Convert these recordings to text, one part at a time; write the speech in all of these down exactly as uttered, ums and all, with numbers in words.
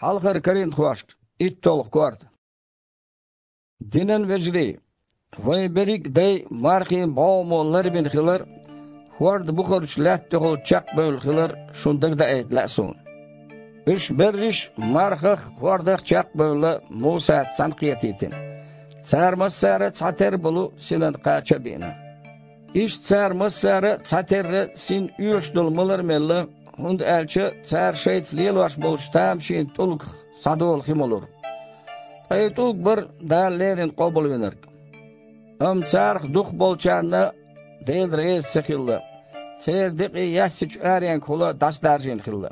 Хьалхара Коринтхошка, иттолгӀа корта. Динан вежарий, вайн берриг а дай мархийн бӀогӀамо ларбина хилар, хӀорда бухарчу лаьтта тӀехула чекхбевлла хилар шуна дагадаийта лаьа суна. Уьш берриш а мархах а, хӀордах а чекхбевлла, Мусас цхьаьна кхетийтина. Цара массара а цхьатерра болу синан кхача а биъна. Иштта цара массара а цхьатерра син оьшуш долу малар а мелла, хӀунда аьлча цара шайца лелош болчу тамашийна тӀулгах схьадолу хи ма лура. Ткъа и тӀулг бара Дала леррина къобалвинарг. Амма царах дукхахболчарна Дела реза ца хилла, церан декъий яьссачу аренгахула дӀасадаржийна хилла.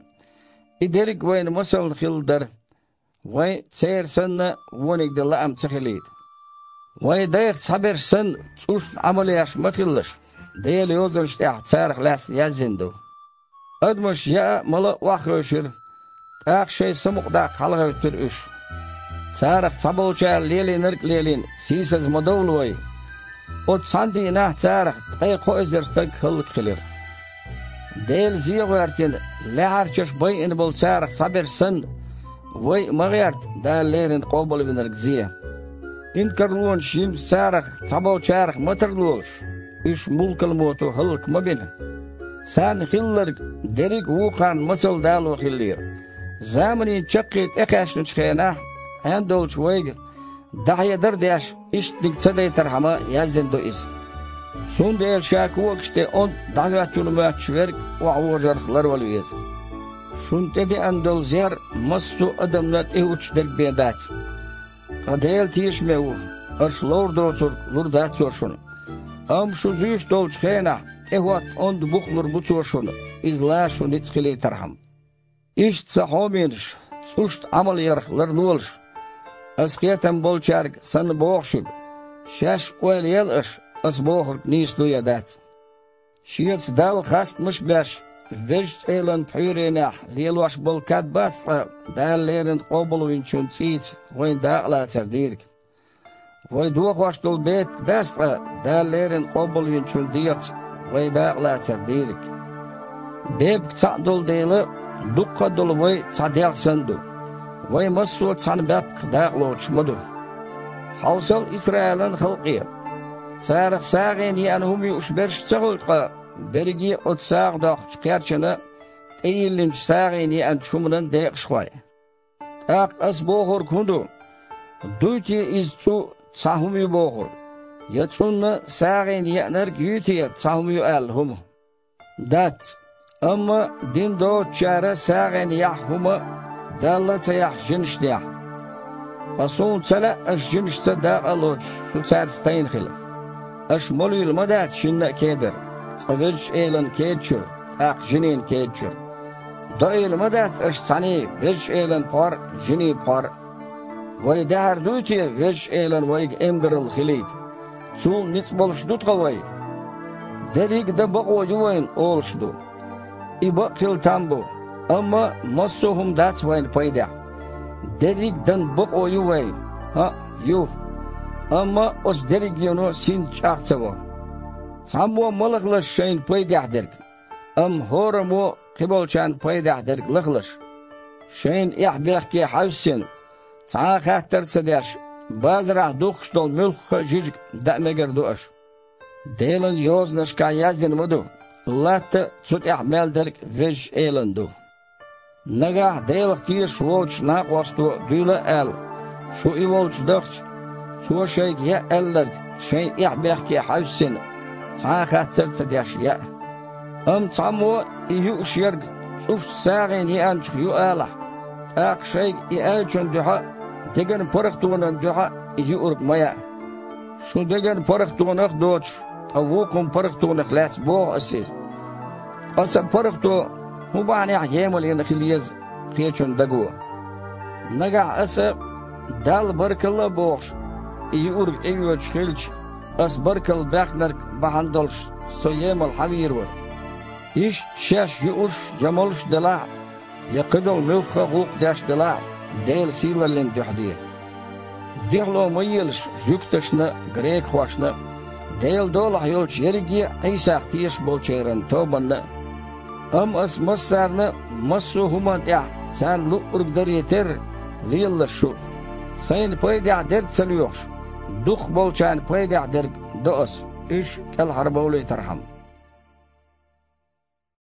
И дерриг а вайна масална хилла дара, вайн церан санна вониг дан лаам ца хилийта. Вайн дайх цхьаберш санна, цӀушна Ӏамал еш ма хилалаш, Делан Йозанаш тӀехь царах лаьцна яздина ду. Адамаш яа а, мала а охьахевшира, тӀаккха шайн самукъадаккха хьалагӀевттира уьш. Царах цхьаболчара лелийнарг а лелийна, сийсаза ма довла вай. Оцу цхьана дийнахь царах ткъе кхо эзар стаг хӀаллакьхилира. Дела зе а гӀоьртина, лаьхьарчаш байина болу царах цхьаберш санна, вай а ма гӀерта Дала леррина къобалвинарг зе. Инкарлонаш йинчу царах цхьаболчарах ма тарлолаш, уьш мулкалмото хӀаллак ма бина. Царна хилларг дерриг а вукхарна масал дало хиллера. Заманийн чаккхе тӀекхаьчначу хенахь, Ӏен долчу вайга дӀахьедар а деш, ишттаниг ца дайтархьама яздина ду иза. Цундела ша когаш тӀе онда дӀахӀоьттина моьттуш верг охьавожарх ларвала веза. Шуна тӀедеана долу зер массо а адамна тӀехӀуттуш дерг бен дац. Ткъа Дела тешаме ву, аша ловр доцург лур дац Цо шуна. Амма шу зуьйш долчу хенахь, тӀехӀотта онда бух лур бу Цо шуна, иза лан шу ницкъ хилийтархьама. Иштта, сан хьоменаш, цӀушна Ӏамал ярх ларлолаш. Аса кхетам болчаьрга санна боху шуьга: шаьш ойла ел аша, аса бохург нийса ду я дац. Шеца Далла хастамаш а беш, Везачу Элан пхьуьйренехь лелош болу кад бац ткъа Дала леррина къобалвинчун цӀийца вайн дакъалацар дийриг? Вай дохош долу бепиг дац ткъа Дала леррина къобалвинчун дегӀаца вай дакъалацар дийриг? Бепиг цхьаъ долу дела, дуккха а долу вай цхьа дегӀ санна ду. Вай массо а цхьана баьпках дакъалоцуш ма ду. Хьовсал Исраилан халкъе. Царах сагӀина еана хӀума юуш берш ца хуьлу ткъа, берриге а оцу сагӀа доккхучу кхерчана тӀейиллинчу сагӀина еанчу хӀуманан декъашхой? ТӀаккха аса бохург хӀун ду? Дуй те иза цӀу цхьа хӀума ю бохург? Я цӀунна сагӀина еанарг юй те цхьа хӀума ю аьлла хӀума? Дац. Амма дин доцучара сагӀина яхь хӀума Далла а ца яхь жинашна яхь. Ткъа суна ца лаьа аша жинашца дакъа а лоцуш, шу цаьрца тайна хила. Аша молийла ма дац шинна а кедар, цкъа Везачу Элана кеда чуьра, тӀаккха жинийн кеда чуьра. Доийла ма дац аша цхьаьний Везачу Элан пхьор а, жинийн пхьор а. Вай даьхьар дуй те Везачу Элан вайга эмгаралла хилийта? Цул ницкъ болуш ду тхан вай? Дерриг а дан бакъо ю вайна олуш ду. И бакъ хила там бу, амма массо а хӀума дац вайна пайдехь. Дерриг а дан бакъо ю вайна? ХӀаъ, ю. Амма оцу дерригено синца чӀагӀ ца во. Цхьаммо ма лахалаш шайна пайдехь дерг, амма хӀораммо кхиболчарна пайдехь дерг лахалаш. Шайна эхь-бехке хьаьвссина, цхьа а хаттар а ца деш, базарахь духкуш долу муьлхха а жижиг даа мегар ду аша. Делан Йозанашкахь яздина ма ду: «Латта а, цу тӀехь мел дерг Везачу Элан ду». Нагахь Делах тешаш волчу накъосто дуьйла а аьлла, шу и волчу дахча, цо шайга яа аьлларг шайн эхь-бехке хьаьвссина, цхьа а хаттар а ца деш, яа. Амма цхьаммо и юуш ерг цӀушца сагӀина еанчух ю алахь, тӀаккха шайга и аьллачун дуьхьа а, деган паргӀатонан дуьхьа а и юург ма яа. Шун деган паргӀатонах а доцуш, ткъа вукхун паргӀатонах лаьцна боху аса иза. Ткъа сан паргӀато хӀун бахьанехь емал йина хила еза кхечун даго? Нагахь аса, Далла баркалла а бохуш, и юург тӀеоьцуш хилча, аса баркалла баьхнарг бахьана долуш со емал хьан вийр вара? Иштта шаьш юуш я молуш делахь а, я кхидолу муьлхха а гӀуллакх деш делахь а, Делан сийлаллин дуьхьа де. Дуьхьало ма елаш жуьгташна а, грекахошна а, Делан долахь йолчу ерриге а Ӏийсах тешаш болчеран тобанна а. Амма аса массарна а, массо а хӀуманна тӀехь Царна луъург даре терра, лелалаш шу. Сайна пайдехь дерг ца лоьхуш, дукхахболчарна пайдехь дерг до ас, уьш кӀелхьарбовлийтархьама.